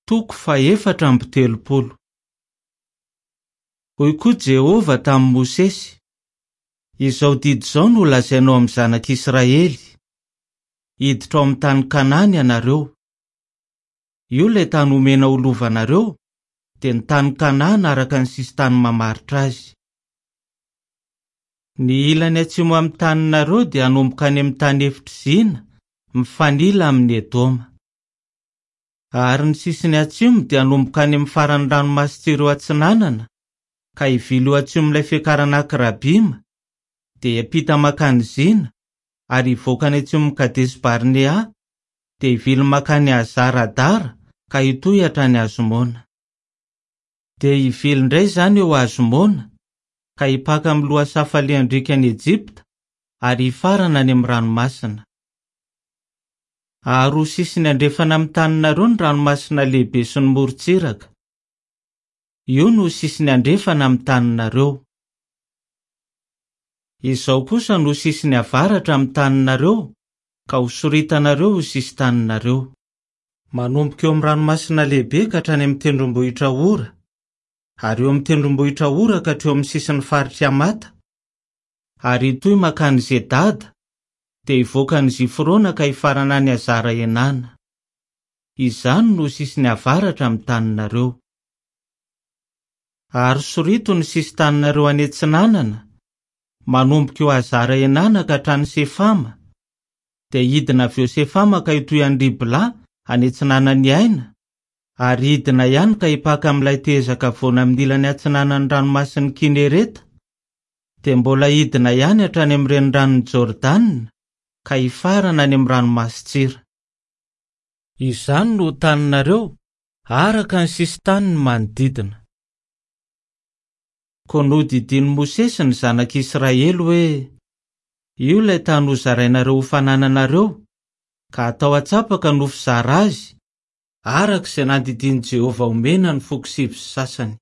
Toko faha-34. Hoy koa Jehovah tamin'i Mosesy, Izao didy izao no holazainao amin'ny zanak'Israely, Hiditra ao amin'ny tany Kanana ianareo. Io ilay tany homena ho lovanareo, dia ny tany Kanana araka ny sisin-tany mamaritra azy. Ny ilany atsimo amin'ny taninareo dia hanomboka any amin'ny tany efitr'i Zina, mifanila amin'i Edoma. Ary ny sisiny atsimo dia hanomboka any amin'ny faran'ny ranomasin-tsireo atsinanana, ka hivily ho atsimon'ilay fiakarana Akrabima, dia hiampita mankany Zina, ary hivoaka any atsimon'i Kadesi-Barnea, dia hivily mankany Hazar-Adara ka hitohy hatrany Azmona. Dia hivily indray izany eo Azmona, ka hipaka amin'ny lohasaha falehan-driakan'i Egypta, ary hifarana any amin'ny ranomasina. Ary ho sisiny andrefana amin'ny taninareo ny ranomasina lehibe sy ny morontsiraka. Io no ho sisiny andrefana amin'ny taninareo. Izao kosa no ho sisiny avaratra amin'ny taninareo, ka hosoritanareo ho sisin-taninareo. Manomboka eo amin'ny ranomasina lehibe ka hatrany amin'ny tendrombohitra Hora, ary eo amin'ny tendrombohitra Hora ka hatreo amin'ny sisin'ny faritr'i Hamata, ary hitohy mankany Zedada, dia hivoaka any Zifrona ka hifarana any Hazara-Enana. Izany no ho sisiny avaratra amin'ny taninareo. Ary sorito ny sisin-taninareo any atsinanana, manomboka eo Hazara-Enana ka hatrany Sefama, dia hidina avy eo Sefama ka hitohy any Ribla any atsinanan'i Aina, ary hidina ihany ka hipaka amin'ilay tehezan-kavoana amin'ny ilany atsinanan'ny ranomasin'i Kinereta, dia mbola hidina ihany hatrany amin'ny reniranon'i Jordana ka hifarana any amin'ny ranomasin-tsira. Izany no ho taninareo, araka ny sisin-taniny manodidina. Koa nodidian'i Mosesy ny zanak'Israely hoe, Io ilay tany hozarainareo ho fanananareo, ka hatao antsapaka no fizara azy, araka izay nandidian'i Jehovah homena ny foko sivy sy sasany.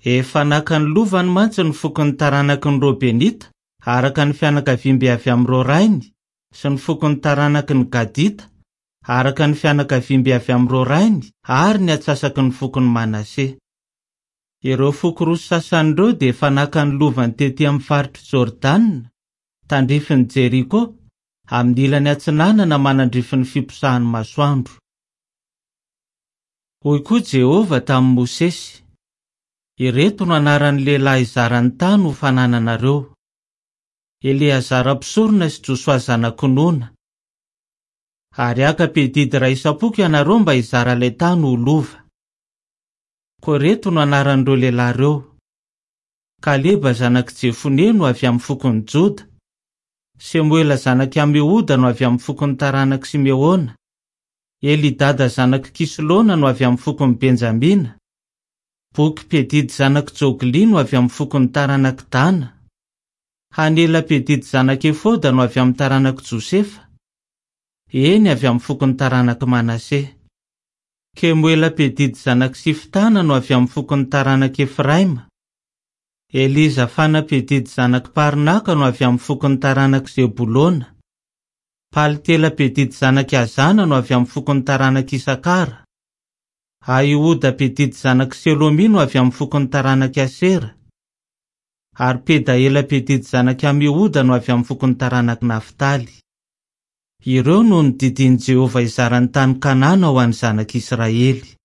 Efa naka ny lovany mantsy ny fokon'ny taranaky ny Robenita araka ny fianakaviambe avy amin'ireo rainy sy ny fokon'ny taranaky ny Gadita araka ny fianakaviambe avy amin'ireo rainy ary ny antsasaky ny fokon'i Manase. Ireo foko roa sasany ireo dia efa naka ny lovany tetỳ amin'ny faritr'i Jordana, tandrifin'i Jeriko, amin'ny ilany atsinanana manandrify ny fiposahan'ny masoandro. Hoy koa Jehovah tamin'i Mosesy, Ireto no anaran'ny lehilahy hizara ny tany ho fanananareo, Eleazara mpisorona sy Josoa zanak'i Nona. Ary haka mpiadidy iray isam-poko ianareo mba hizara ilay tany ho lova. Koa ireto no anaran'ireo lehilahy ireo, Kaleba zanak'i Jefone no avy amin'ny fokon'i Joda, Semoela zanak'i Amihoda no avy amin'ny fokon'ny taranak'i Simeona, Elidada zanak'i Kislona no avy amin'ny fokon'i Benjamina. Boky mpiadidy zanak'i Joglia no avy amin'ny fokon'ny taranak'i Dana. Hanela mpiadidy zanak'i Efoda no avy amin'ny taranak'i Josefa. Eny, avy amin'ny fokon'ny taranak'i Manase. Kemoela mpiadidy zanak'i Siftana no avy amin'ny fokon'ny taranak'i Efraima. Elizafana mpiadidy zanak'i Parnaka no avy amin'ny fokon'ny taranak'i Zebolona. Paltiela mpiadidy zanak'i Azana no avy amin'ny fokon'ny taranak'i Isakara. Ahihoda mpiadidy zanak'i Selomia no avy amin'ny fokon'ny taranak'i Asera. Ary Pedaela mpiadidy zanak'i Amihoda no avy amin'ny fokon'ny taranak'i Naftaly. Ireo no nodidian'i Jehovah hizara ny tany Kanana ho an'ny zanak'Israely.